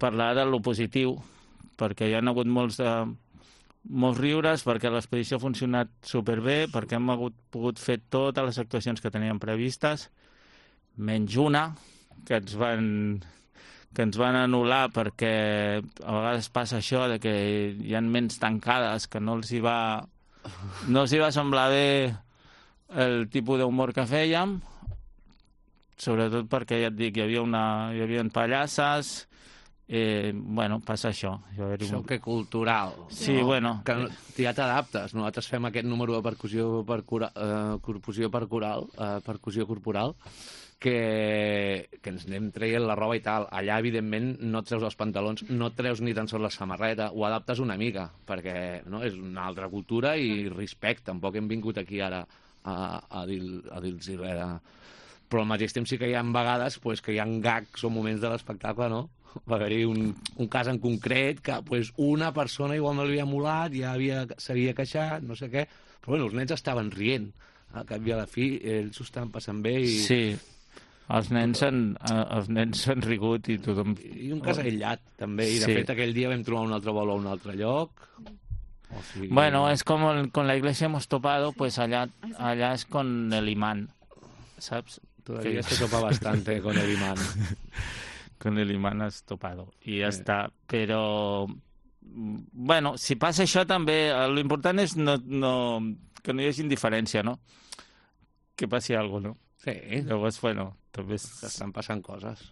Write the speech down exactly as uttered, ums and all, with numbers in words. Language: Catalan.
parlar de lo positiu, perquè hi ha hagut molts, de, molts riures, perquè l'expedició ha funcionat superbé, perquè hem hagut, pogut fer totes les actuacions que teníem previstes, menys una, que ens van, que ens van anul·lar perquè a vegades passa això de que hi ha ments tancades que no els hi va, no els hi va semblar bé el tipus d'humor que fèiem, sobretot perquè, ja et dic, hi havia, una, hi havia pallasses. Eh, bueno, passa això. Xoque cultural. Sí, no? bueno. Que ja t'adaptes. Nosaltres fem aquest número de percussió per cura, eh, percussió per coral, eh, percussió corporal, que, que ens anem traient la roba i tal. Allà, evidentment, no et treus els pantalons, no et treus ni tan sols la samarreta, ho adaptes una mica, perquè no, és una altra cultura i respecte. Tampoc hem vingut aquí ara a, a dir-los a dir res de... Però al mateix temps sí que hi ha vegades pues, que hi ha gags o moments de l'espectacle, no? Va haver-hi un, un cas en concret que pues, una persona igual no li havia molat, ja havia, s'havia queixat, no sé què, però bueno, els nens estaven rient. Al cap i a la fi, ells s'ho estaven passant bé i... Sí, els nens s'han els nens s'han rigut i tothom... I un cas aïllat, també, i de sí. fet aquell dia vam trobar un altre vol a un altre lloc... O sigui... Bueno, es como el, con la iglesia hemos topado, pues allá, allá es con el imán, ¿sabes? Todavía se topa bastante con el imán. Con el imán has topado i ja sí. està, però bueno, si passa això també l'important és no, no, que no hi hagi indiferència, no? Que passi alguna cosa, no? Sí. Llavors, bueno, també és... Estan passant coses.